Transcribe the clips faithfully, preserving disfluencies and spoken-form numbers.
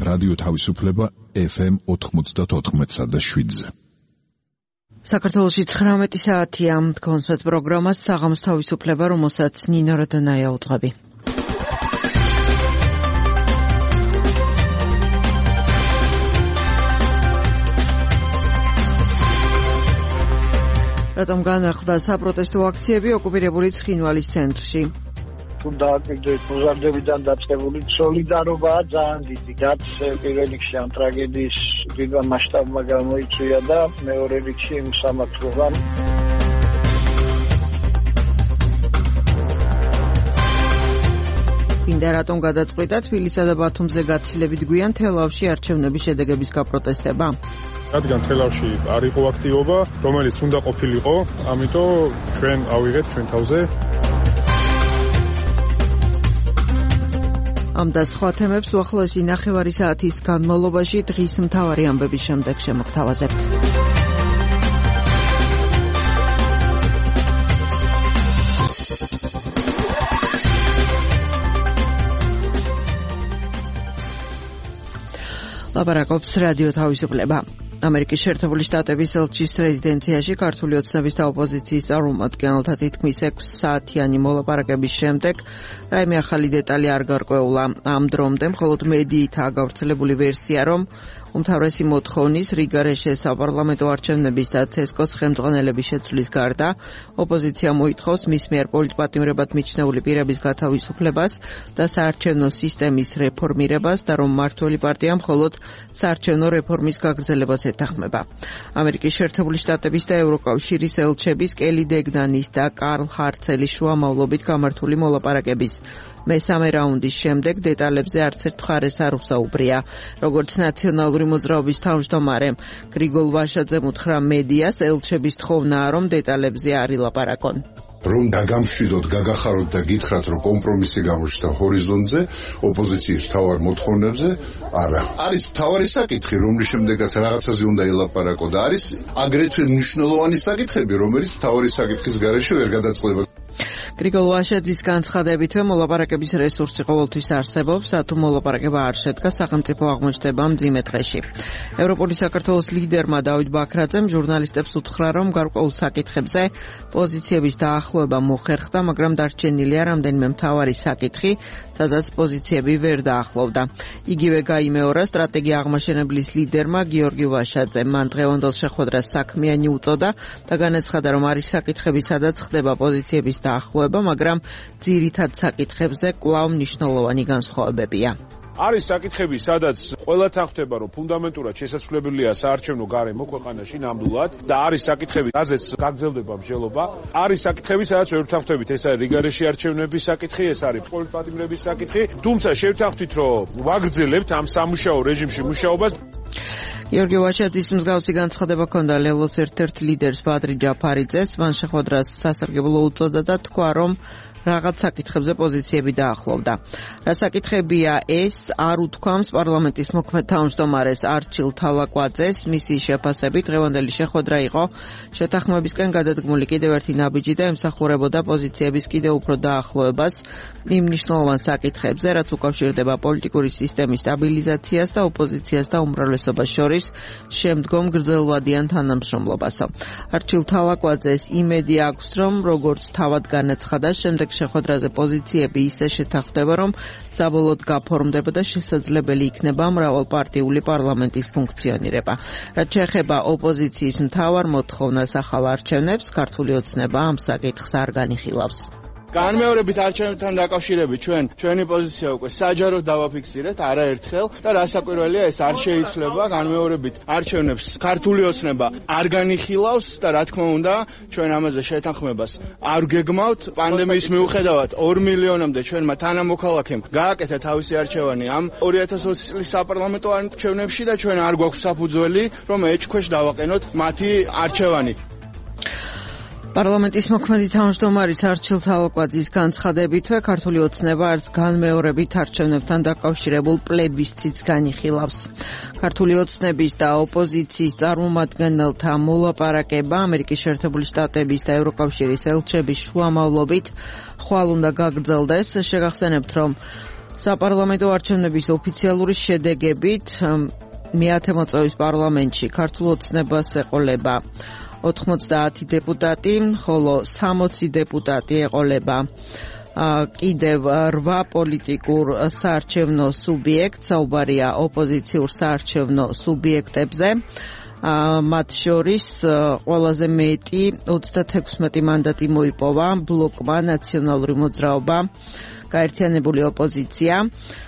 რადიო თავისუფლება ეფ ემ ოთხმოცდაოთხ და შვიდზე. საქართველოში ცხრამეტი საათია. კონსვეთ პროგრამას საღამოს თავისუფლება, რომელსაც ნინო რადონაია უძღვები. რატომ განახლდა საპროტესტო აქციები ოკუპირებული ცხინვალის ცენტრში? დააკვირდეთ მოზარდებიდან დაწყებული სოლიდარობაა ძალიან დიდი. რაც პირველ რიგში ამ ტრაგედიის დიდმა მასშტაბმა გამოიწვია და მეორე რიგში იმ სამართლებამ. ინდა რატომ გადაწყვიტა თბილისსა და ბათუმზე გაცილებით გვიან თელავში არჩევნების შედეგების გაპროტესტება? რადგან თელავში არ იყო აქტივობა, რომელიც უნდა ყოფილიყო, ამიტომ ჩვენ ავიღეთ ჩვენ თავზე. ამ და სხვა თემებს უახლოესი ნახევარი საათის განმავლობაში დღის მთავარი ამბების შემდეგ შემოგთავაზებთ. ლაპარაკობს რადიო თავისუფლება. ამერიკის შეერთებული შტატების ელჩის რეზიდენციაში ქართული ოცნების და ოპოზიციის წარმომადგენელთა თითქმის ექვსი საათიანი მოლაპარაკების შემდეგ რაიმე ახალი დეტალი არ გარკვეულა. ამ დრომდე მხოლოდ მედიითაა გავრცელებული ვერსია, რომ უმთავრესი მოთხოვნის რიგარეშეს საპარლამენტო არჩევნების და ცესკოს ხელმძღვანელების შეცვლის გარდა ოპოზიცია მოითხოვს მის მიერ პოლიტპატიმრებად მიჩნეული პირების გათავისუფლებას და საარჩევნო სისტემის რეფორმირებას და რომ მმართველი პარტია მხოლოდ საარჩევნო რეფორმის გაგრძელებას ეთანხმება. ამერიკის შეერთებული შტატების და ევროკავშირის ელჩების კელი დეგნანის და კარლ ჰარცელის შუამავლობით გამართული მოლაპარაკების მესამე რაუნდის შემდეგ დეტალებზე არც ერთ მხარეს არ უსაუბრია. როგორც ნაციონალური მოძრაობის თავმჯდომარე გრიგოლ ვაშაძემ უთხრა მედიას, ელჩების თხოვნაა, რომ დეტალებზე არ ილაპარაკონ. რომ დაგამშვიდოთ, გაგახაროთ და გითხრათ, რომ კომპრომისი გამოჩნდა ჰორიზონტზე, ოპოზიციის მთავარ მოთხოვნებზე, არა. არის მთავარი საკითხი, რომლის შემდეგაც რაღაცაზე უნდა ილაპარაკო და არის აგრეთვე მნიშვნელოვანი საკითხები, რომელიც მთავარი საკითხის გარეშე ვერ გადაწყდება. გრიგოლ ვაშაძის განცხადებით, მოლაპარაკების რესურსი ყოველთვის არსებობს, თუ მოლაპარაკება არ შედგა, სახელმწიფო აღმოჩნდება მძიმე დღეში. ევროპული საქართველოს ლიდერმა დავით ბაქრაძემ ჟურნალისტებს უთხრა, რომ გარკვეულ საკითხებზე პოზიციების დაახლოება მოხერხდა, მაგრამ დარჩენილია რამდენიმე მთავარი საკითხი, სადაც პოზიციები ვერ დაახლოვდა. იგივე გაიმეორა სტრატეგია აღმაშენებლის ლიდერმა გიორგი ვაშაძემ. მან დღევანდელ შეხვედრას საქმიანი უწოდა და განაცხადა, რომ არის საკითხები, სადაც ხდება პოზიციების დაახლოება, მაგრამ ძირითად საკითხებზე კვლავ მნიშვნელოვანი განსხვავებებია. არის საკითხები, სადაც ყველა თანხმდება, რომ ფუნდამენტურად შესაძლებელია საარჩევნო გარემო ქვეყანაში ნამდვილად და არის საკითხები, რაზეც გაგრძელდება მსჯელობა. არის საკითხები, სადაც ვერ თანხმდებით, ეს არის რიგარეში არჩევნების საკითხი, ეს არის პოლიტპატიმრების საკითხი, თუმცა შევთანხმდით, რომ ვაგრძელებთ ამ სამუშაო რეჟიმში მუშაობას. გიორგი ვაშაძის მსგავსი განცხადება ჰქონდა ლელოს ერთ-ერთ ლიდერს ბადრი ჯაფარიძეს. მან შეხვედრას სასარგებლო უწოდა და თქვა, რომ რაღაც საკითხებზე პოზიციები დაახლოვდა. რა საკითხებია ეს, არ უთქვამს პარლამენტის მოქმედ თავმჯდომარეს არჩილ თალაკვაძეს. მისი შეფასებით დღევანდელი შეხვედრა იყო შეთანხმებისკენ გადადგმული კიდევ ერთი ნაბიჯი და ემსახურებოდა პოზიციების კიდევ უფრო დაახლოებას იმ მნიშვნელოვან საკითხებზე, რაც უკავშირდება პოლიტიკური სისტემის სტაბილიზაციას და ოპოზიციას და უმრავლესობას შორის შემდგომ გრძელვადიან თანამშრომლობას. არჩილ თალაკვაძეს იმედი აქვს, რომ როგორც თავად განაცხადა, შემდეგ შეხვედრაზე პოზიციები ისე შეთანხმდება, რომ საბოლოოდ გაფორმდება და შესაძლებელი იქნება მრავალპარტიული პარლამენტის ფუნქციონირება. რაც შეეხება ოპოზიციის მთავარ მოთხოვნას ახალ არჩევნებს, ქართული ოცნება ამ საკითხს არ განიხილავს. განმეორებით არჩევნებთან დაკავშირებით ჩვენ ჩვენი პოზიცია უკვე საჯაროდ დავაფიქსირეთ არაერთხელ და რასაკვირველია ეს არ შეიძლება განმეორებით არჩევნებს ქართული ოცნება არ განიხილავს და რა თქმა უნდა ჩვენ ამაზე შეთანხმებას არ გეგმავთ. პანდემიის მიუხედავად ორ მილიონამდე ჩვენმა თანამოქალაქემ გააკეთა თავისი არჩევანი ამ ორი ათას ოცი წლის საპარლამენტო არჩევნებში და ჩვენ არ გვაქვს საფუძველი რომ ეჭქვეშ დავაყენოთ მათი არჩევანი. პარლამენტის მოქმედი თავმჯდომარის არჩილ თალაკვაძის განცხადებითვე ქართული ოცნება არც განმეორებით არჩევნებთან დაკავშირებულ პლებისციტს განიხილავს. ქართული ოცნების და ოპოზიციის წარმომადგენელთა მოლაპარაკება ამერიკის შეერთებული შტატების და ევროკავშირის ელჩების შუამავლობით ხვალ უნდა გაგრძელდეს. შეგახსენებთ, რომ საპარლამენტო არჩევნების ოფიციალური შედეგებით მეათე მოწვევის პარლამენტში ქართულ ოცნებას ეყოლება ოთხმოცდაათი დეპუტატი, ხოლო სამოცი დეპუტატი ეყოლება კიდევ რვა პოლიტიკურ საარჩევნო სუბიექტს, საუბარია ოპოზიციურ საარჩევნო სუბიექტებზე. მათ შორის ყველაზე მეტი ოცდათექვსმეტი მანდატი მოიპოვა ბლოკმა ნაციონალური მოძრაობა გაერთიანებული ოპოზიცია.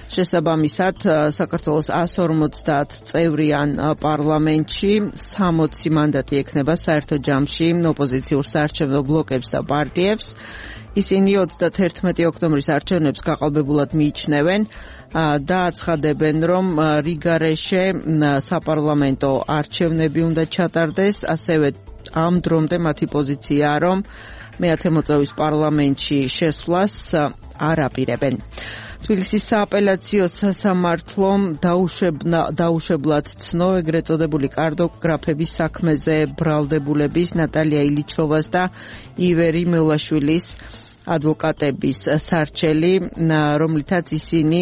შესაბამისად, საქართველოს εκατს ორმოცდაათ წევრიან პარლამენტში სამოცი მანდატი ექნება საერთო ჯამში ოპოზიციურ საარჩევნო ბლოკებს და პარტიებს. ისინი ოცდათერთმეტი ოქტომბრის არჩევნებს გაყალბებულად მიიჩნევენ და აცხადებენ, რომ რიგარეშე საპარლამენტო არჩევნები უნდა ჩატარდეს, ასევე ამ დრომდე მათი პოზიციაა, რომ მეათე მოწვევის პარლამენტში შესვლას არ აპირებენ. თბილისის სააპელაციო სასამართლომ დაუშვებლად ცნო ეგრეთ წოდებული კარტოგრაფების საქმეზე ბრალდებულების ნატალია ილიჩოვას და ივერი მელაშვილის ადვოკატების სარჩელი, რომლითაც ისინი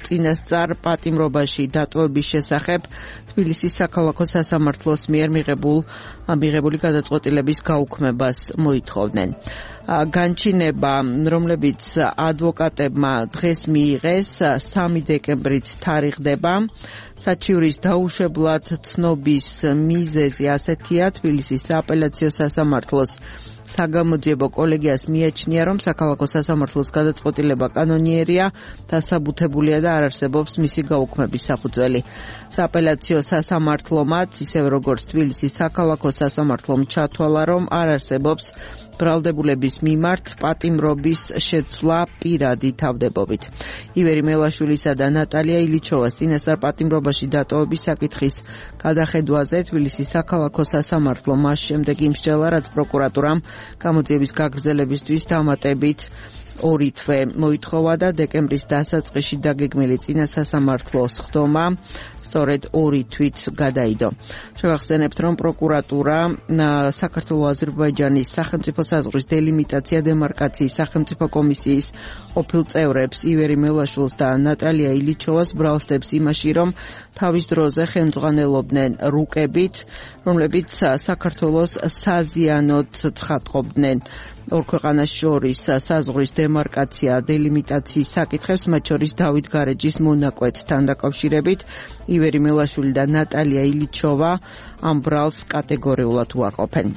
წინასწარ პატიმრობაში დატოვების შესახებ თბილისის საქალაქო სასამართლოს მიერ მიღებულ მიღებული გადაწყვეტილების გაუქმებას მოითხოვდნენ. განჩინება, რომლებიც ადვოკატებმა დღეს მიიღეს, სამი დეკემბრით თარიღდება. საჩივრის დაუშვებლად ცნობის მიზეზი ასეთია, თბილისის სააპელაციო სასამართლოს საგამოძიებო კოლეგიას მიაჩნია, რომ საქალაქო სასამართლოს გადაწყვეტილება კანონიერია, დასაბუთებულია და არ არსებობს მისი გაუქმების საფუძველი. სააპელაციო სასამართლომაც, ისევე როგორც თბილისის საქალაქო სასამართლომ ჩათვალა, რომ არ არსებობს ბრალდებულების მიმართ პატიმრობის შეცვლა პირადი თავდებობით. ივერი მელაშვილისა და ნატალია ილიჩოვას წინასწარ პატიმრობაში დატოვების საკითხის გადახედვაზე თბილისის საქალაქო სასამართლო მას შემდეგ იმსჯელა, რაც პროკურატურამ გამოძიების გაგრძელებისთვის დამატებით ორი თვე მოითხოვა და დეკემბრის დასაწყისში დაგეგმილი წინასასამართლოს ხდომა სწორედ ორი თვით გადაიდო. შევახსენებთ, რომ პროკურატურა საქართველო-აზერბაიჯანის სახელმწიფო საზღვრის დელიმიტაცია დემარკაციის სახელმწიფო კომისიის ყოფილ წევრებს ივერი მელაშვილს და ნატალია ილიჩოვას ბრალსდებს იმაში, რომ თავის დროზე ხელმძღვანელობდნენ რუკებით, რომლებიც საქართველოს საზიანოდ ცხადყოფდნენ ორ ქვეყანას შორის საზღვრის დემარკაცია დელიმიტაციის საკითხებს, მათ შორის დავით გარეჯის მონაკვეთთან დაკავშირებით. ივერი მელაშვილი და ნატალია ილიჩოვა ამ ბრალს კატეგორიულად უარყოფენ.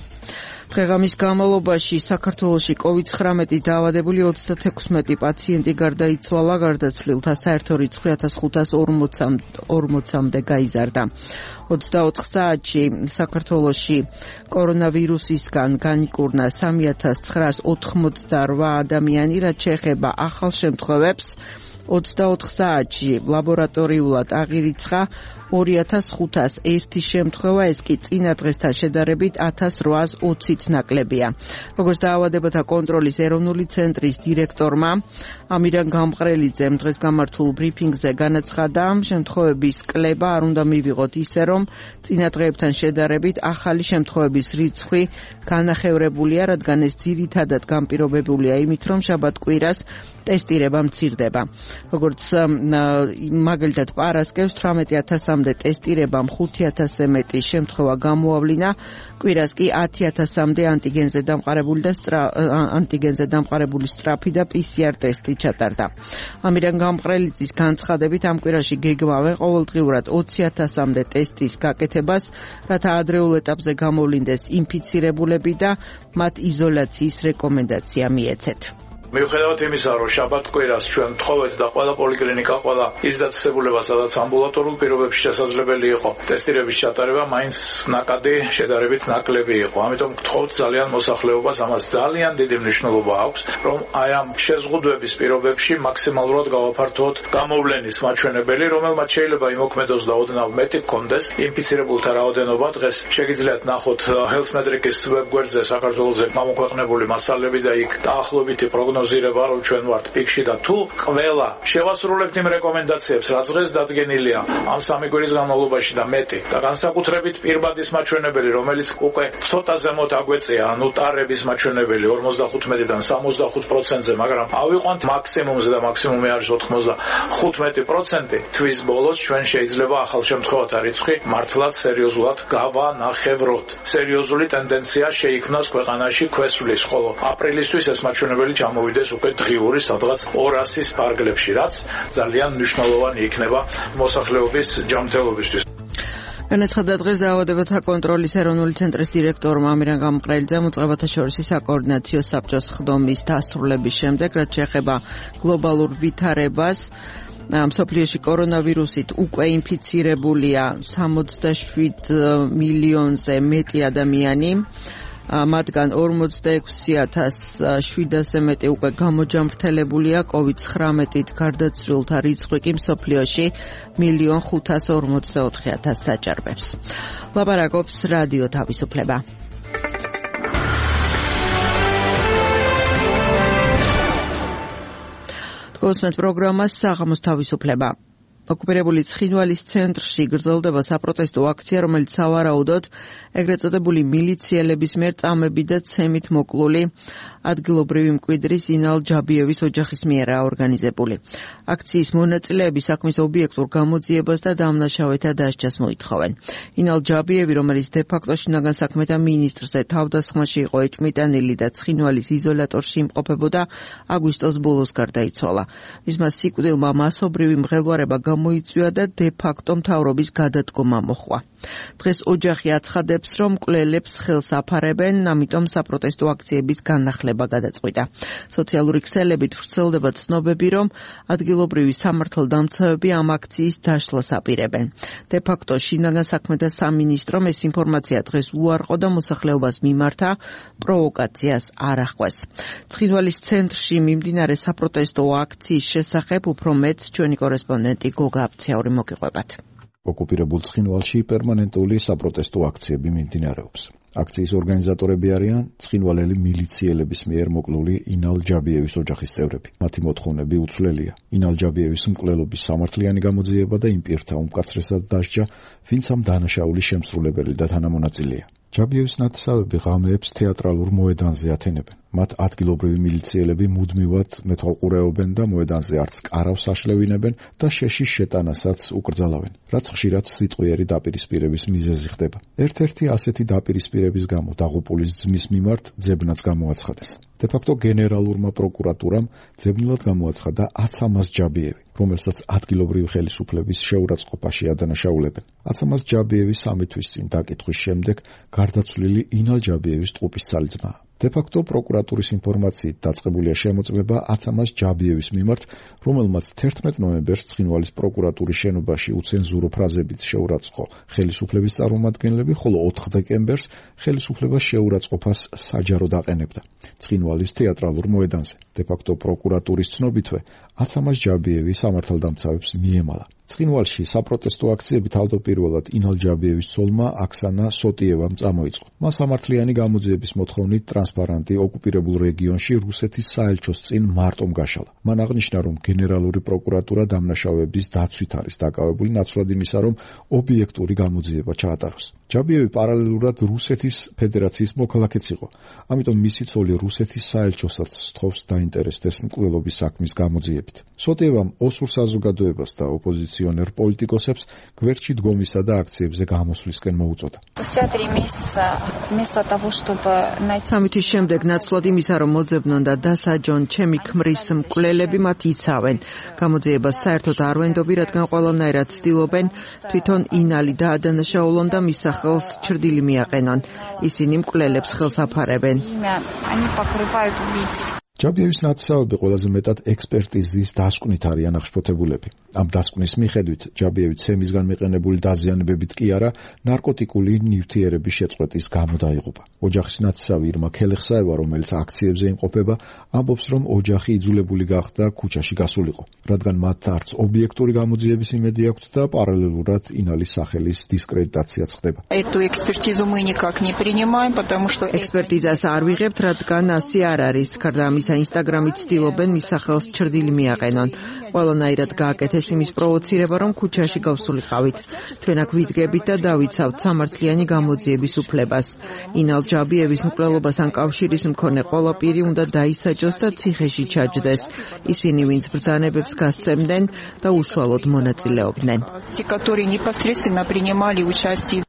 დღეღამის განმავლობაში საქართველოში კოვიდ ცხრამეტი დაავადებული ოცდათექვსმეტი პაციენტი გარდაიცვალა, გარდაცვლილთა საერთო რიცხვი ათას ხუთას ორმოცამდე გაიზარდა. ოცდაოთხ საათში საქართველოში კორონავირუსისგან განიკურნა სამი ათას ცხრაას ოთხმოცდარვა ადამიანი, რაც შეეხება ახალ შემთხვევებს. ოცდაოთხ საათში ლაბორატორიულად აღირიცხა ორი ათას ხუთას ერთი შემთხვევა, ეს კი წინა დღესთან შედარებით ათას რვაას ოცით ნაკლებია. როგორც დაავადებათა კონტროლის ეროვნული ცენტრის დირექტორმა ამირან გამყრელიძემ დღეს გამართულ ბრიფინგზე განაცხადა, შემთხვევების კლება არ უნდა მივიღოთ ისე, რომ წინა დღეებთან შედარებით ახალი შემთხვევების რიცხვი განახევრებულია, რადგან ეს ძირითადად განპირობებულია იმით, რომ შაბათ-კვირას ტესტირება მცირდება. როგორც მაგალითად პარასკევს თვრამეტი ათასამდე ტესტირებამ ხუთი ათასზე მეტი შემთხვევა გამოავლინა, კვირას კი ათი ათასამდე ანტიგენზე დამყარებული და ანტიგენზე დამყარებული სწრაფი და პი სი არ ტესტი ჩატარდა. ამირან გამყრელიძის განცხადებით ამ კვირაში გეგმავენ ყოველდღიურად ოცი ათასამდე ტესტის გაკეთებას, რათა ადრეულ ეტაპზე გამოვლინდეს ინფიცირებულები და მათ იზოლაციის რეკომენდაცია მიეცეთ. მიუხედავად იმისა, რომ შაბათ-კვირას ჩვენ ვთხოვეთ და ყველა პოლიკლინიკა, ყველა ის დაწესებულება, სადაც ამბულატორულ პირობებში შესაძლებელი იყო ტესტირების ჩატარება, მაინც ნაკადი შედარებით ნაკლები იყო. ამიტომ ვთხოვთ ძალიან მოსახლეობას, ამას ძალიან დიდი მნიშვნელობა აქვს, რომ აი ამ შეზღუდვების პირობებში მაქსიმალურად გავაფართოთ გამოვლენის მაჩვენებელი, რომელმაც შეიძლება იმოქმედოს და ოდნავ მეტი გქონდეს ინფიცირებულთა რაოდენობა. დღეს შეგიძლიათ ნახოთ Health Metrics ვებგვერდზე საქართველოზე გამოქვეყნებული მასალები და იქ დაახლოებითი პროგნოზი პროგნოზირება, რომ ჩვენ ვართ პიკში და თუ ყველა შევასრულებთ იმ რეკომენდაციებს, რაც დღეს დადგენილია ამ სამი კვირის განმავლობაში და მეტი და განსაკუთრებით პირბადის მაჩვენებელი, რომელიც უკვე ცოტა ზემოთ აგვეწია, ანუ ტარების მაჩვენებელი ორმოცდახუთიდან სამოცდახუთ პროცენტზე, მაგრამ ავიყვანთ მაქსიმუმზე და მაქსიმუმი არის ოთხმოცდახუთი პროცენტი. თვის ბოლოს ჩვენ შეიძლება ახალ შემთხვევათა რიცხვი მართლაც სერიოზულად გავანახევროთ. სერიოზული ტენდენცია შეიქმნას ქვეყანაში ქვესვლის, ხოლო აპრილისთვის ეს მაჩვენებელი ჩამოვიდეს უკვე დღიური სადღაც ორასის ფარგლებში, რაც ძალიან მნიშვნელოვანი იქნება მოსახლეობის ჯანმრთელობისთვის. განაცხადა დღეს დაავადებათა კონტროლის ეროვნული ცენტრის დირექტორმა ამირან გამყრელიძემ უწყებათა შორის საკოორდინაციო საბჭოს ხდომის დასრულების შემდეგ, რაც შეეხება გლობალურ ვითარებას, მსოფლიოში კორონავირუსით უკვე ინფიცირებულია სამოცდაშვიდ მილიონზე მეტი ადამიანი, მათგან ორმოცდაექვსი ათას შვიდასზე მეტი უკვე გამოჯამრთელებულია, კოვიდ ცხრამეტით გარდაცვლილთა რიცხვი კი მსოფლიოში მილიონ ხუთას ორმოცდაოთხი ათასს აჭარბებს. ლაპარაკობს რადიო თავისუფლება. გოსმენთ პროგრამას საღამოს თავისუფლება. ოკუპირებული ცხინვალის ცენტრში გრძელდება საპროტესტო აქცია, რომელიც სავარაუდოდ ეგრეთ წოდებული მილიციელების მიერ წამები და ცემით მოკლული ადგილობრივი მკვიდრის ინალ ჯაბიევის ოჯახის მიერაა ორგანიზებული. აქციის მონაწილეები საქმის ობიექტურ გამოძიებას და დამნაშავეთა დასჯას მოითხოვენ. ინალ ჯაბიევი, რომელიც დე-ფაქტო შინაგან საქმეთა მინისტრზე თავდასხმაში იყო ეჭმიტანილი და ცხინვალის იზოლატორში იმყოფებოდა, აგვისტოს ბოლოს გარდაიცვალა. მისმა სიკვდილმა მასობრივი მღელვარება გამოიწვია და დე-ფაქტო მთავრობის გადადგომა მოჰყვა. დღეს ოჯახი აცხადებს, რომ მკვლელებს ხელს აფარებენ, ამიტომ საპროტესტო აქციების განახლება გადაწყვიტა. სოციალური ქსელებით ვრცელდება ცნობები, რომ ადგილობრივი სამართალდამცავები ამ აქციის დაშლას აპირებენ. დე-ფაქტო შინაგან საქმეთა სამინისტრომ ეს ინფორმაცია დღეს უარყო და მოსახლეობას მიმართა პროვოკაციას არ ახვეს. ცხინვალის ცენტრში მიმდინარე საპროტესტო აქციის შესახებ უფრო მეტს ჩვენი კორესპონდენტი გოგა აფციური მოგიყვებათ. ოკუპირებულ ცხინვალში პერმანენტული საპროტესტო აქციები მიმდინარეობს. აქციის ორგანიზატორები არიან ცხინვალელი მილიციელების მიერ მოკლული ინალ ჯაბიევის ოჯახის წევრები. მათი მოთხოვნები უცვლელია. ინალ ჯაბიევის მკვლელობის სამართლიანი გამოძიება და იმ პირთა უმკაცრესად დასჯა, ვინც ამ დანაშაულის შემსრულებელი და თანამონაწილეა. ჯაბიევის ნათესავები ღამეებს თეატრალურ მოედანზე ათენებენ. მათ ადგილობრივი მილიციელები მუდმივად მეთვალყურეობენ და მოედანზე არც კარავს აშლევინებენ და შეშის შეტანასაც უკრძალავენ, რაც ხშირად სიტყვიერი დაპირისპირების მიზეზი ხდება. ერთ-ერთი ასეთი დაპირისპირების გამო დაღუპულის ძმის მიმართ ძებნაც გამოაცხადეს. დე-ფაქტო გენერალურმა პროკურატურამ ძებნილად გამოაცხადა აცამას ჯაბიევი, რომელსაც ადგილობრივი ხელისუფლების შეურაცხყოფაში ადანაშაულებენ. აცამას ჯაბიევი სამი თვის წინ დაკითხვის შემდეგ გარდაცვლილი ინალ ჯაბიევის ტყუპისცალი ძმაა. დე-ფაქტო პროკურატურის ინფორმაციით დაწყებულია შემოწმება აცამას ჯაბიევის მიმართ, რომელმაც თერთმეტ ნოემბერს ცხინვალის პროკურატურის შენობაში უცენზურო ფრაზებით შეურაცხო ხელისუფლების წარმომადგენლები, ხოლო ოთხ დეკემბერს ხელისუფლება შეურაცხყოფას საჯაროდ აყენებდა ცხინვალის თეატრალურ მოედანზე. დე-ფაქტო პროკურატურის ცნობითვე აცამას ჯაბიევი სამართალდამცავებს მიემალა. ცხინვალში საპროტესტო აქციები თავდაპირველად ინალ ჯაბიევის ცოლმა აქსანა სოტიევამ წამოიწყო. მას სამართლიანი გამოძიების მოთხოვნით ტრანსპარანტი ოკუპირებულ რეგიონში რუსეთის საელჩოს წინ მარტომ გაშალა. მან აღნიშნა, რომ გენერალური პროკურატურა დამნაშავეების დაცვით არის დაკავებული, ნაცვლად იმისა, რომ ობიექტური გამოძიება ჩაატაროს. ჯაბიევი პარალელურად რუსეთის ფედერაციის მოქალაქეც იყო, ამიტომ მისი ცოლი რუსეთის საელჩოსაც სთხოვს დაინტერესდეს მკვლელობის საქმის გამოძიებით. სოტიევამ ოსურ საზოგადოებას და ოპოზიციონერ პოლიტიკოსებს გვერდში დგომისა და აქციებზე გამოსვლისკენ მოუწოდა. სამი თვის შემდეგ ნაცვლად იმისა, რომ მოძებნონ და დასაჯონ ჩემი ქმრის მკვლელები, მათ იცავენ. გამოძიებას საერთოდ არ ვენდობი, რადგან ყველანაირად ცდილობენ თვითონ ინალი დაადანაშაულონ და მის სახელს ჩრდილი მიაყენონ. ისინი მკვლელებს ხელს აფარებენ. ჯაბიევის ნათესავები ყველაზე მეტად ექსპერტიზის დასკვნით არიან აღშფოთებულები. ამ დასკვნის მიხედვით ჯაბიევი ცემისგან მიყენებული დაზიანებებით კი არა, ნარკოტიკული ნივთიერების შეწყვეტის გამო დაიღუპა. ოჯახის ნათესავი ირმა ქელეხსაევა, რომელიც აქციებზე იმყოფება, ამბობს, რომ ოჯახი იძულებული გახდა ქუჩაში გასულიყო, რადგან მათ არც ობიექტური გამოძიების იმედი აქვთ და პარალელურად ინალის სახელის დისკრედიტაციაც ხდება. ექსპერტიზას არ ვიღებთ, რადგან ასე არ არის. გარდა ამისა, ამისა ინსტაგრამით ცდილობენ მის სახელს ჩრდილი მიაყენონ. ყველანაირად გააკეთეს იმის პროვოცირება, რომ ქუჩაში გავსულიყავით. ჩვენ აქ ვიდგებით და დავიცავთ სამართლიანი გამოძიების უფლებას. ინალ ჯაბიევის მკვლელობასთან კავშირის მქონე ყველა პირი უნდა დაისაჯოს და ციხეში ჩაჯდეს. ისინი, ვინც ბრძანებებს გასცემდნენ და უშუალოდ მონაწილეობდნენ.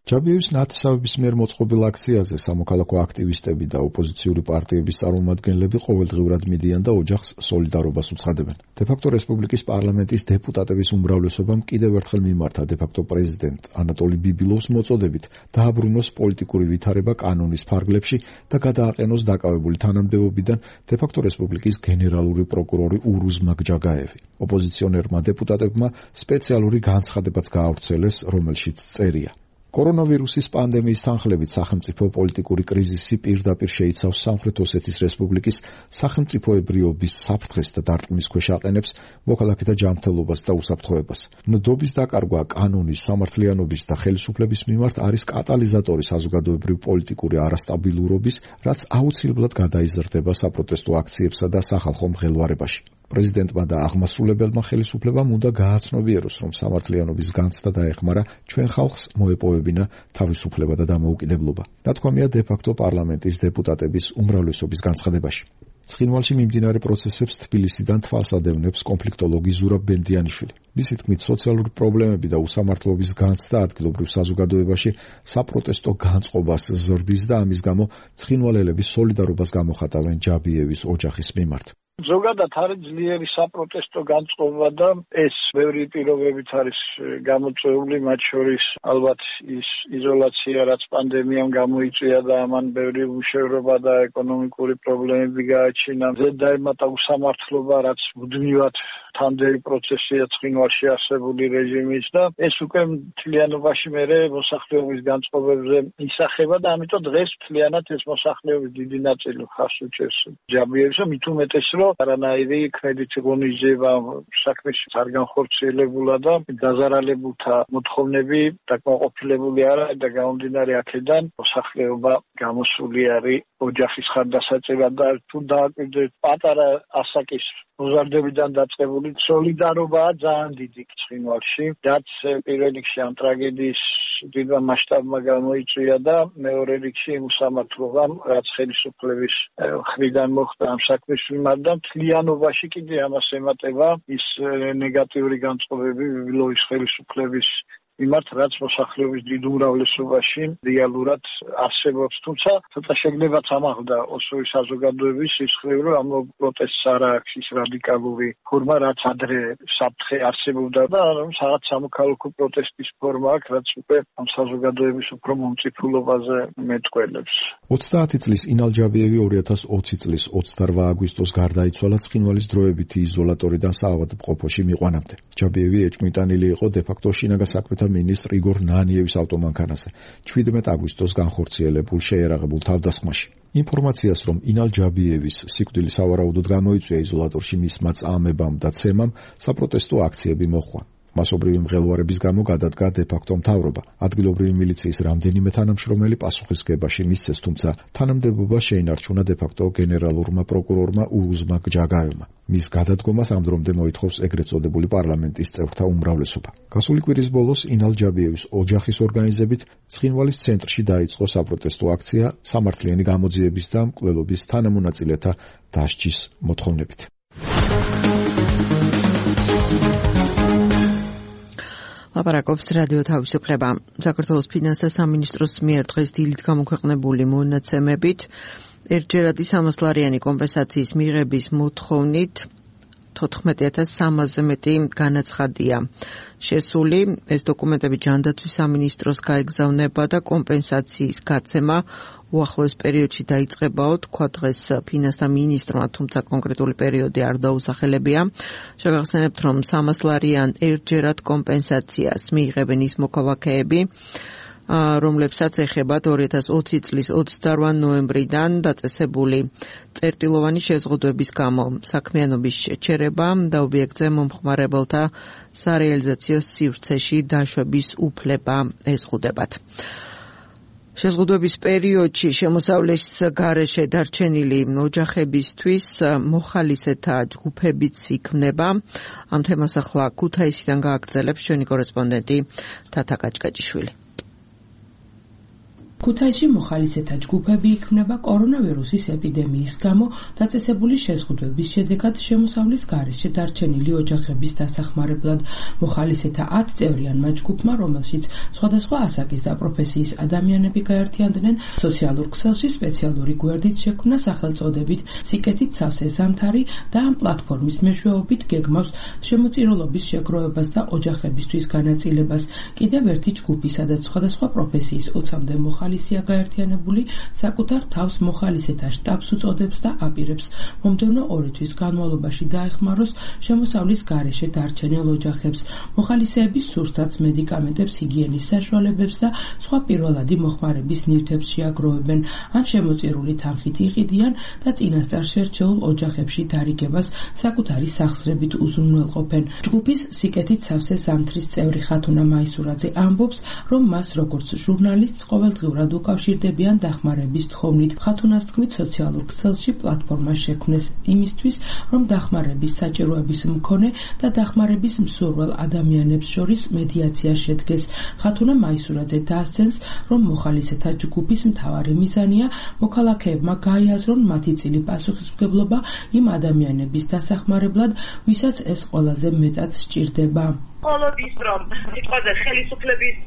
ჯაბიევის ნათესავების მიერ მოწყობილ აქციაზე სამოქალაქო აქტივისტები და ოპოზიციური პარტიების წარმომადგენლები ყოველდღიურად მიდიან და ოჯახს სოლიდარობას უცხადებენ. დე-ფაქტო რესპუბლიკის პარლამენტის დეპუტატების უმრავლესობამ კიდევ ერთხელ მიმართა დე-ფაქტო პრეზიდენტ ანატოლი ბიბილოვს მოწოდებით დააბრუნოს პოლიტიკური ვითარება კანონის ფარგლებში და გადააყენოს დაკავებული თანამდებობიდან დე-ფაქტო რესპუბლიკის გენერალური პროკურორი ურუზ მაგჯაგაევი. ოპოზიციონერმა დეპუტატებმა სპეციალური განცხადებაც გაავრცელეს, რომელშიც წერია: კორონავირუსის პანდემიის თანხლებით სახელმწიფო პოლიტიკური კრიზისი პირდაპირ შეიცავს სამხრეთ ოსეთის რესპუბლიკის სახელმწიფოებრიობის საფრთხეს და დარტყმის ქვეშ აყენებს მოქალაქეთა ჯანმრთელობას და უსაფრთხოებას. ნდობის დაკარგვა კანონის, სამართლიანობის და ხელისუფლების მიმართ არის კატალიზატორი საზოგადოებრივ პოლიტიკური არასტაბილურობის, რაც აუცილებლად გადაიზრდება საპროტესტო აქციებსა და სახალხო მღელვარებაში. პრეზიდენტმა და აღმასრულებელმა ხელისუფლებამ უნდა გააცნობიეროს, რომ სამართლიანობის განცდა დაეხმარა ჩვენ ხალხს მოეპოვებინა თავისუფლება და დამოუკიდებლობა. ნათქვამია დე-ფაქტო პარლამენტის დეპუტატების უმრავლესობის განცხადებაში. ცხინვალში მიმდინარე პროცესებს თბილისიდან თვალს ადევნებს კონფლიქტოლოგი ზურაბ ბენდიანიშვილი. მისი თქმით, სოციალური პრობლემები და უსამართლობის განცდა ადგილობრივ საზოგადოებაში საპროტესტო განწყობას ზრდის და ამის გამო ცხინვალელების სოლიდარობას გამოხატავენ ჯაბიევის ოჯახის მიმართ. ზოგადად არის ძლიერი საპროტესტო განწყობა და ეს ბევრი პირობებით არის გამოწვეული, მათ შორის ალბათ ის იზოლაცია, რაც პანდემიამ გამოიწვია და ამან ბევრი უშევრობა და ეკონომიკური პრობლემები გააჩინა. ზედაემატა უსამართლობა, რაც მუდმივად თანდელი პროცესია ცხინვალში არსებული რეჟიმის და ეს უკვე მთლიანობაში მერე მოსახლეობის განწყობებზე ისახება და ამიტომ დღეს მთლიანად ეს მოსახლეობის დიდი ნაწილი ხარს უჭერს ჯაბიევს, მით უმეტეს რომ არანაირი კრედიტი ღონისძიება საქმეში არ განხორციელებულა და დაზარალებულთა მოთხოვნები დაკმაყოფილებული არა და გამომდინარე აქედან მოსახლეობა გამოსული არის ოჯახის ხარდასაჭერად და თუ დააკვირდეთ პატარა ასაკის მოზარდებიდან დაწყებული სოლიდარობაა ძალიან დიდი ცხინვალში, რაც პირველ რიგში ამ ტრაგედიის დიდმა მასშტაბმა გამოიწვია და მეორე რიგში იმ უსამართლობამ, რაც ხელისუფლების მხრიდან მოხდა ამ საქმის მიმართ და მთლიანობაში კიდე ამას ემატება ის ნეგატიური განწყობები ბიბილოვის ხელისუფლების მიმართ, რაც მოსახლეობის დიდ უმრავლესობაში რეალურად არსებობს. თუმცა ცოტა შეგნებაც ამაღლდა ოსური საზოგადოების სისხლი, რომ ამ პროტესტს არ აქვს ის რადიკალური ფორმა, რაც ადრე საფრთხე არსებობდა და რაღაც სამოქალაქო პროტესტის ფორმა აქვს, რაც უკვე ამ საზოგადოების უფრო მომწიფულობაზე მეტყველებს. ოცდაათი წლის ინალ ჯაბიევი ორი ათას ოცი წლის ოცდარვა აგვისტოს გარდაიცვალა ცხინვალის დროებითი იზოლატორიდან საავადმყოფოში მიყვანამდე. ჯაბიევი ეჭვმიტანილი იყო დე-ფაქტო შინაგან საქმეთა მინისტრ იგორ ნანიევის ავტომანქანაზე ჩვიდმეტ აგვისტოს განხორციელებულ შეერაღებულ თავდასხმაში. ინფორმაციას, რომ ინალ ჯაბიევის სიკვდილი სავარაუდოდ გამოიწვია იზოლატორში მისმა წამებამ და ცემამ, საპროტესტო აქციები მოჰყვა. მასობრივი მღელვარების გამო გადადგა დე-ფაქტო მთავრობა. ადგილობრივი მილიციის რამდენიმე თანამშრომელი პასუხისგებაში მისცეს, თუმცა თანამდებობა შეინარჩუნა დე-ფაქტო გენერალურმა პროკურორმა ურუზ მაგჯაგაევმა. მის გადადგომას ამ დრომდე მოითხოვს ეგრეთ წოდებული პარლამენტის წევრთა უმრავლესობა. გასული კვირის ბოლოს ინალ ჯაბიევის ოჯახის ორგანიზებით ცხინვალის ცენტრში დაიწყო საპროტესტო აქცია სამართლიანი გამოძიების და მკვლელობის თანამონაწილეთა დასჯის მოთხოვნებით. ლაპარაკობს რადიო თავისუფლება. საქართველოს ფინანსთა სამინისტროს მიერ დღეს დილით გამოქვეყნებული მონაცემებით ერთჯერადი სამასლარიანი კომპენსაციის მიღების მოთხოვნით თოთხმეტი ათას სამასზე მეტი განაცხადია შესული. ეს დოკუმენტები ჯანდაცვის სამინისტროს გაეგზავნება და კომპენსაციის გაცემა უახლოეს პერიოდში დაიწყებაო, თქვა დღეს ფინანსთა მინისტრმა, თუმცა კონკრეტული პერიოდი არ დაუსახელებია. შეგახსენებთ, რომ სამასლარიან ერთჯერად კომპენსაციას მიიღებენ ის მოქალაქეები, რომლებსაც ეხებათ ორი ათას ოცი წლის ოცდარვა ნოემბრიდან დაწესებული წერტილოვანი შეზღუდვების გამო საქმიანობის შეჩერება და ობიექტზე მომხმარებელთა სარეალიზაციო სივრცეში დაშვების უფლება ეზღუდებათ. შეზღუდვების პერიოდში შემოსავლის გარეშე დარჩენილი ოჯახებისთვის მოხალისეთა ჯგუფებიც იქმნება. ამ თემას ახლა ქუთაისიდან გააგრძელებს ჩვენი კორესპონდენტი თათა კაჭკაჭიშვილი. ქუთაისში მოხალისეთა ჯგუფები იქმნება კორონავირუსის ეპიდემიის გამო დაწესებული შეზღუდვების შედეგად შემოსავლის გარეშე დარჩენილი ოჯახების დასახმარებლად. მოხალისეთა ათ წევრიანმა ჯგუფმა, რომელშიც სხვადასხვა ასაკის და პროფესიის ადამიანები გაერთიანდნენ, სოციალურ ქსელში სპეციალური გვერდით შექმნა სახელწოდებით სიკეთით სავსე ზამთარი და ამ პლატფორმის მეშვეობით გეგმავს შემოწირულობის შეგროვებას და ოჯახებისთვის განაწილებას. კიდევ ერთი ჯგუფი, სადაც სხვადასხვა პროფესიის ოცამდე მოხალისეა გაერთიანებული, საკუთარ თავს მოხალისეთა შტაბს უწოდებს და აპირებს მომდევნო ორი თვის განმავლობაში დაეხმაროს შემოსავლის გარეშე დარჩენილ ოჯახებს. მოხალისეების სურსათს, მედიკამენტებს, ჰიგიენის საშუალებებს და სხვა პირველადი მოხმარების ნივთებს შეაგროვებენ, ან შემოწირული თანხით იყიდიან და წინასწარ შერჩეულ ოჯახებში დარიგებას საკუთარი სახსრებით უზრუნველყოფენ. ჯგუფის სიკეთით სავსე ზამთრის წევრი ხათუნა მაისურაძე ამბობს, რომ მას როგორც ჟურნალისტს ყოველდღიურად უკავშირდებიან დახმარების თხოვნით. ხათუნას თქმით, სოციალურ ქსელში პლატფორმა შექმნეს იმისთვის, რომ დახმარების საჭიროების მქონე და დახმარების მსურველ ადამიანებს შორის მედიაცია შედგეს. ხათუნა მაისურაძე დაასცენს, რომ მოხალისეთა ჯგუფის მთავარი მიზანია მოქალაქეებმა გაიაზრონ მათი წილი პასუხისმგებლობა იმ ადამიანების დასახმარებლად, ვისაც ეს ყველაზე მეტად სჭირდება. მხოლოდ ის, რომ სიტყვაზე ხელისუფლების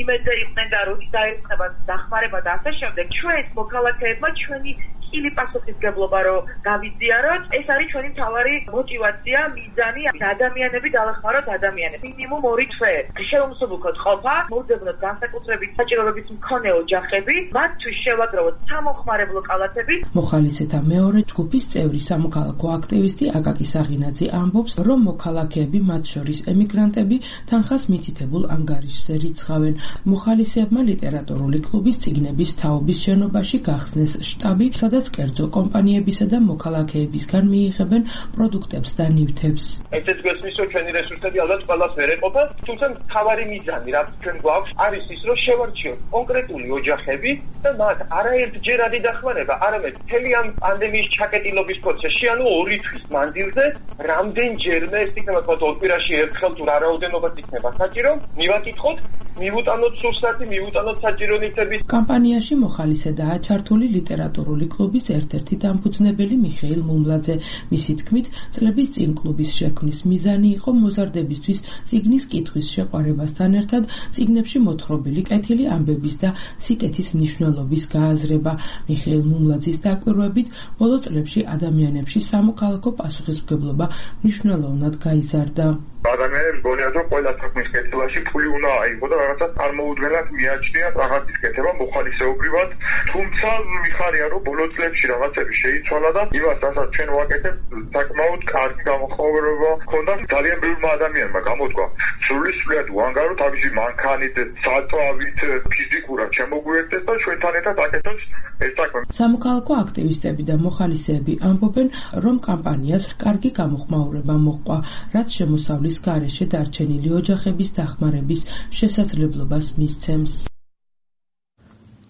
იმედზე იყვნენ და როდის დაერწყება დახმარება და ასე შემდეგ, ჩვენ მოქალაქეებმა ჩვენი წილი პასუხისმგებლობა რომ გავიზიაროთ, ეს არის ჩვენი მთავარი მოტივაცია, მიზანი, ადამიანები დავეხმაროთ ადამიანებს. მინიმუმ ორი თვე შეუმსუბუქოთ ყოფა, მოვძებნოთ განსაკუთრებით საჭიროების მქონე ოჯახები, მათთვის შევაგროვოთ სამომხმარებლო კალათები. მოხალისეთა მეორე ჯგუფის წევრი სამოქალაქო აქტივისტი აკაკი საღინაძე ამბობს, რომ მოქალაქეები, მათ შორის ემიგრანტები, თანხას მითითებულ ანგარიშზე რიცხავენ. მოხალისეებმა ლიტერატურული კლუბის წიგნების თაობის შენობაში გახსნეს შტაბი, სადაც კერძო კომპანიებისა და მოქალაქეებისგან მიიღებენ პროდუქტებს და ნივთებს. ესეც გვესმის, რომ ჩვენი რესურსები ალბათ ყველას ვერ ეყოფა, თუმცა მთავარი მიზანი, რაც ჩვენ გვაქვს, არის ის, რომ შევარჩიოთ კონკრეტული ოჯახები და მათ არაერთჯერადი დახმარება, არამედ მთელი ამ პანდემიის ჩაკეტილობის პროცესში, ანუ ორი თვის მანძილზე, რამდენჯერმე ეს იქნება თქვა ორ კვირაში ერთხელ თუ რა რაოდენობა იქნება საჭირო, მივაკითხოთ, მივუტანოთ სურსათი, მივუტანოთ საჭირო ნივთები. კამპანიაში მოხალისედაა ჩართული ლიტერატურული კლუბის ერთ-ერთი დამფუძნებელი მიხეილ მუმლაძე. მისი თქმით, წლების წინ კლუბის შექმნის მიზანი იყო მოზარდებისთვის წიგნის კითხვის შეყვარებასთან ერთად წიგნებში მოთხრობილი კეთილი ამბების და სიკეთის მნიშვნელობის გააზრება. მიხეილ მუმლაძის დაკვირვებით, ბოლო წლებში ადამიანებში სამოქალაქო პასუხისმგებლობა მნიშვნელოვნად გაიზარდა. ადამიანებს გონიათ, რომ ყველა საქმის კეთილაში ფული უნდა აიღო და რაღაცა წარმოუდგენლად მიაჩნიათ რაღაცის კეთება მოხალისეობრივად, თუმცა მიხარია, რომ ბოლო წლებში რაღაცები შეიცვალა და იმას, რასაც ჩვენ ვაკეთებთ, საკმაოდ კარგი გამოხმაურება ჰქონდა ძალიან ბევრმა ადამიანმა გამოდგა. სრულიად უანგარო თავისი მანქანით, საწვავით, ფიზიკურად შემოგვიერთდეს და ჩვენთან ერთად აკეთოთ ეს საქმე. სამოქალაქო აქტივისტები და მოხალისეები ამბობენ, რომ კამპანიას კარგი გამოხმაურება მოჰყვა, რაც შემოსავლის გარეშე დარჩენილი ოჯახების დახმარების შესაძლებლობას მისცემს.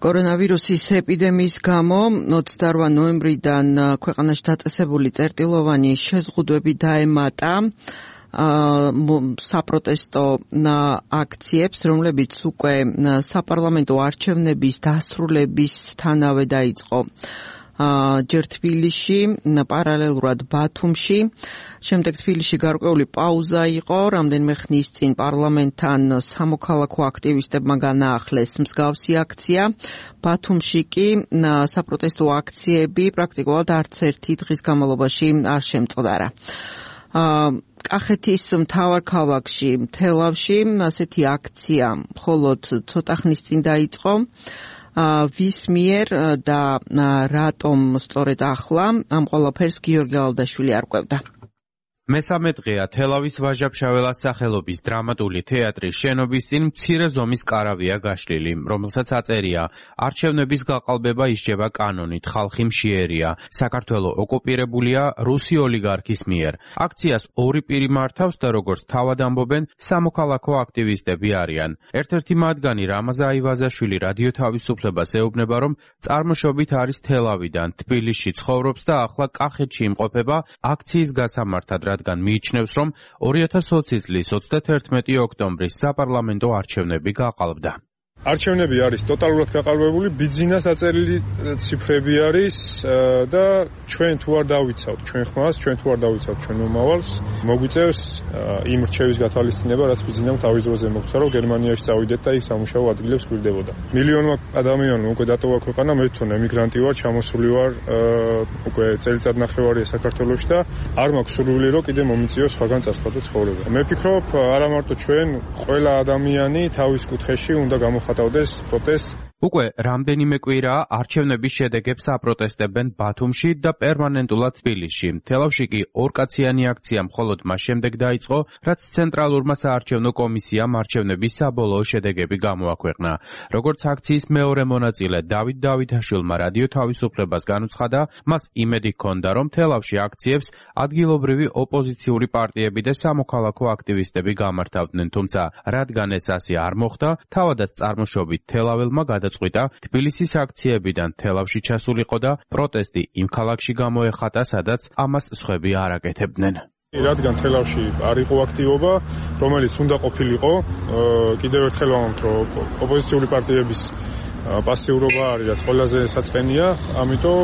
კორონავირუსის ეპიდემიის გამო ოცდაორი ნოემბრიდან ქვეყანაში დაწესებული წერტილოვანი შეზღუდვები დაემატა საპროტესტო აქციებს, რომლებიც უკვე საპარლამენტო არჩევნების დასრულებისთანავე დაიწყო. ჯერ თბილისში, პარალელურად ბათუმში, შემდეგ თბილისში გარკვეული პაუზა იყო, რამდენიმე ხნის წინ პარლამენტთან სამოქალაქო აქტივისტებმა განაახლეს მსგავსი აქცია. ბათუმში კი საპროტესტო აქციები პრაქტიკულად არც ერთი დღის განმავლობაში არ შემწყდარა. კახეთის მთავარ ქალაქში, თელავში, ასეთი აქცია მხოლოდ ცოტა ხნის წინ დაიწყო. ვის მიერ და რატომ სწორედ ახლა ამ ყველაფერს გიორგი ალდაშვილი არკვევდა. მესამე დღეა თელავის ვაჟა-ფშაველას სახელობის დრამატული თეატრის შენობის წინ მცირე ზომის კარავია გაშლილი, რომელსაც აწერია არჩევნების გაყალბება ისჯება კანონით, ხალხი მშიერია, საქართველო ოკუპირებულია რუსი ოლიგარქის მიერ. აქციას ორი პირი მართავს და როგორც თავად ამბობენ, სამოქალაქო აქტივისტები არიან. ერთ-ერთი მათგანი რამაზ აივაზაშვილი რადიო თავისუფლებას ეუბნება, რომ წარმოშობით არის თელავიდან, თბილისში ცხოვრობს და ახლა კახეთში იმყოფება აქციის გასამართად, რადგან მიიჩნევს, რომ ორი ათას ოცი წლის ოცდათერთმეტი ოქტომბრის საპარლამენტო არჩევნები გაყალბდა. არჩევნები არის ტოტალურად გაყალბებული, ბიძინას აწერილი ციფრები არის და ჩვენ თუ არ დავიცავთ ჩვენ ხმას, ჩვენ თუ არ დავიცავთ ჩვენ მომავალს, მოგვიწევს იმ რჩევის გათვალისწინება, რაც ბიძინამ თავის დროზე მოგცა, რომ გერმანიაში წავიდეთ და იქ სამუშაო ადგილებს გვირდებოდა. მილიონმა ადამიანმა უკვე დატოვა ქვეყანა, მე თვითონ ემიგრანტი ვარ, ჩამოსული ვარ უკვე წელიწად ნახევარია საქართველოში და არ მაქვს სურვილი, რომ კიდე მომიწიოს სხვაგან წასვლა ცხოვრება. მე ვფიქრობ, არა მარტო ჩვენ, ყველა ადამიანი თავის კუთხეში უნდა გამოხატავდეს პროტესტს. უკვე რამდენიმე კვირაა არჩევნების შედეგებს აპროტესტებენ ბათუმში და პერმანენტულად თბილისში. თელავში კი ორკაციანი აქცია მხოლოდ მას შემდეგ დაიწყო, რაც ცენტრალურმა საარჩევნო კომისიამ არჩევნების საბოლოო შედეგები გამოაქვეყნა. როგორც აქციის მეორე მონაწილე დავით დავითაშვილმა რადიო თავისუფლებას განუცხადა, მას იმედი ჰქონდა, რომ თელავში აქციებს ადგილობრივი ოპოზიციური პარტიები და სამოქალაქო აქტივისტები გამართავდნენ, თუმცა რადგან ეს ასე არ მოხდა, თავადაც წარმოშობით თელაველმა გადაწყვიტა თბილისის აქციებიდან თელავში ჩასულიყო და პროტესტი იმ ქალაქში გამოეხატა, სადაც ამას სხვები არ აკეთებდნენ. რადგან თელავში არ იყო აქტივობა, რომელიც უნდა ყოფილიყო, კიდევ ერთხელ ვამბობთ, რომ ოპოზიციური პარტიების პასიურობა არის, რაც ყველაზე საწყენია, ამიტომ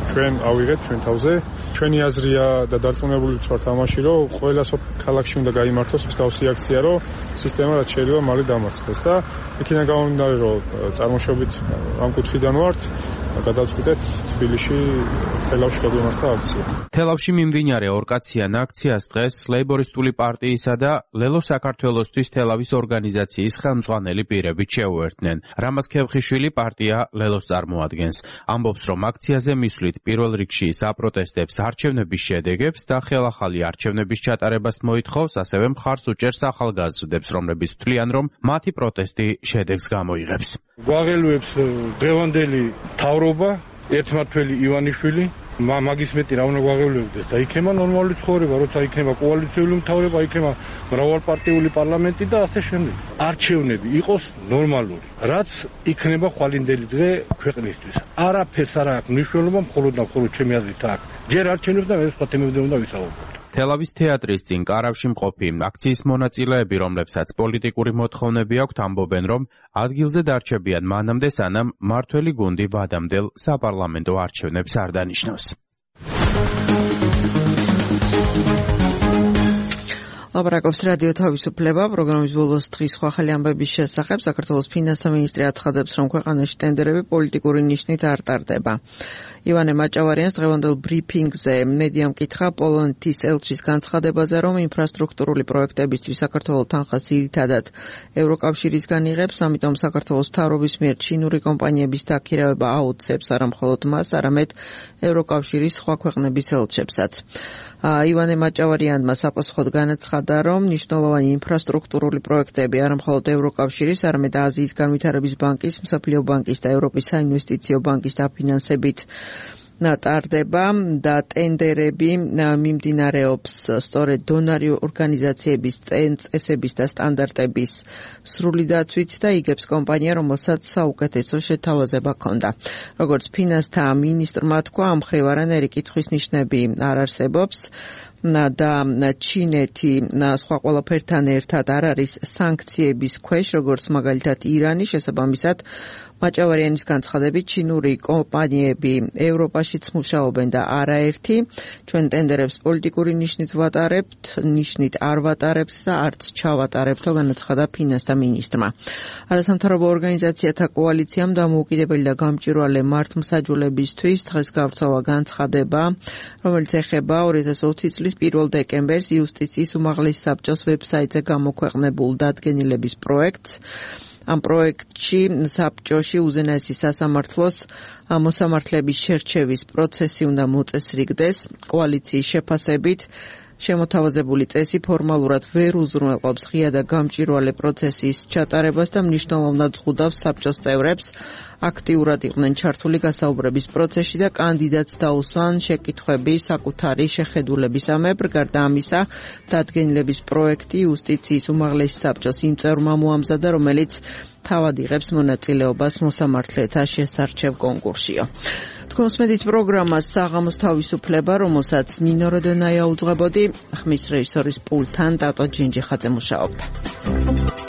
ჩვენ ავიღეთ ჩვენ თავზე. ჩვენი აზრია და დარწმუნებული ვართ ამაში, რომ ყველა ქალაქში უნდა გაიმართოს მსგავსი აქცია, რომ სისტემა რაც შეიძლება მალე დამარცხდეს და იქიდან გამომდინარე, რომ წარმოშობით ამ კუთხიდან ვართ, გადავწყვიტეთ თბილისში თელავში გაგვიმართა აქცია. თელავში მიმდინარე ორკაციან აქციას დღეს ლეიბორისტული პარტიისა და ლელო საქართველოსთვის თელავის ორგანიზაციის ხელმძღვანელი პირები შეუერთდნენ. რამაზ ქევხიშვილი პარტია ლელოს წარმოადგენს. ამბობს, რომ აქციაზე მისვლით პირველ რიგში საპროტესტებს არჩევნების შედეგებს და ხელახალი არჩევნების ჩატარებას მოითხოვს, ასევე მხარს უჭერს ახალგაზრდებს, რომლებიც თვლიან, რომ მათი პროტესტი შედეგს გამოიღებს. გვაღელვებს დღევანდელი მთავრობა, ერთმართველი ივანიშვილი, მაგის მეტი რა უნდა გვაღელვებდეს და იქნება ნორმალური ცხოვრება, როცა იქნება კოალიციური მთავრობა, იქნება მრავალპარტიული პარლამენტი და ასე შემდეგ. არჩევნები იყოს ნორმალური, რაც იქნება ხვალინდელი დღე ქვეყნისთვის. არაფერს არ აქვს მნიშვნელობა, მხოლოდ და მხოლოდ ჩემი აზრით აქვს. ჯერ არჩევნებს და მე სხვა თემებზე უნდა ვისაუბროთ. თელავის თეატრის წინ კარავში მყოფი აქციის მონაწილეები, რომლებსაც პოლიტიკური მოთხოვნები აქვთ, ამბობენ, რომ ადგილზე დარჩებიან მანამდე, სანამ მართველი გუნდი ვადამდელ საპარლამენტო არჩევნებს არ დანიშნავს. ლაპარაკობს რადიო თავისუფლება, პროგრამის ბოლოს დღის სხვა ახალი ამბების შესახებ. საქართველოს ფინანსთა მინისტრი აცხადებს, რომ ქვეყანაში ტენდერები პოლიტიკური ნიშნით არ ტარდება. ივანე მაჭავარიანს დღევანდელ ბრიფინგზე მედიამ კითხა პოლონეთის ელჩის განცხადებაზე, რომ ინფრასტრუქტურული პროექტებისთვის საქართველოს თანხას ძირითადად ევროკავშირისგან იღებს, ამიტომ საქართველოს მთავრობის მიერ ჩინური კომპანიების დაქირავება აუცებს არა მხოლოდ მას, არამედ ევროკავშირის სხვა ქვეყნების ელჩებსაც. ივანე მაჭავარიანმა საპასუხოდ განაცხადა, რომ მნიშვნელოვანი ინფრასტრუქტურული პროექტები არა მხოლოდ ევროკავშირის, არამედ აზიის განვითარების ბანკის, მსოფლიო ბანკის და ევროპის საინვესტიციო ბანკის დაფინანსებით ტარდება და ტენდერები მიმდინარეობს სწორედ დონორი ორგანიზაციების წესების და სტანდარტების სრული დაცვით და იგებს კომპანია, რომელსაც საუკეთესო შეთავაზება ჰქონდა. როგორც ფინანსთა მინისტრმა თქვა, ამ მხრივ არანაირი კითხვის ნიშნები არ არსებობს და ჩინეთი სხვა ყველაფერთან ერთად არ არის სანქციების ქვეშ, როგორც მაგალითად ირანი. შესაბამისად, მაჭავარიანის განცხადებით, ჩინური კომპანიები ევროპაშიც მუშაობენ და არაერთი. ჩვენ ტენდერებს პოლიტიკური ნიშნით ვატარებთ, ნიშნით არ ვატარებთ და არც ჩავატარებთო, განაცხადა ფინანსთა მინისტრმა. არასამთავრობო ორგანიზაციათა კოალიციამ დამოუკიდებელი და გამჭვირვალე მართლმსაჯულებისთვის დღეს გავრცელა განცხადება, რომელიც ეხება ორი ათას ოცი წლის პირველ დეკემბერს იუსტიციის უმაღლეს საბჭოს ვებსაიტზე გამოქვეყნებულ დადგენილების პროექტს. ამ პროექტში საბჭოში უზენაესი სასამართლოს მოსამართლეების შერჩევის პროცესი უნდა მოწესრიგდეს. კოალიციის შეფასებით შემოთავაზებული წესი ფორმალურად ვერ უზრუნველყოფს ღია და გამჭვირვალე პროცესის ჩატარებას და მნიშვნელოვნად ზღუდავს საბჭოს წევრებს აქტიურად იყვნენ ჩართული გასაუბრების პროცესში და კანდიდატს დაუსვან შეკითხვები საკუთარი შეხედულების ამებრ. გარდა ამისა, დადგენილების პროექტი იუსტიციის უმაღლესი საბჭოს იმ წევრმა მოამზადა, რომელიც თავად იღებს მონაწილეობას მოსამართლეთა შესარჩევ კონკურსშიო. თქვენს მედით პროგრამას საღამოს თავისუფლება, რომელსაც ნინო როდენაია უძღვებოდი, ხმის რეჟისორის პულტთან ტატო ჯინჯიხაძე მუშაობდა.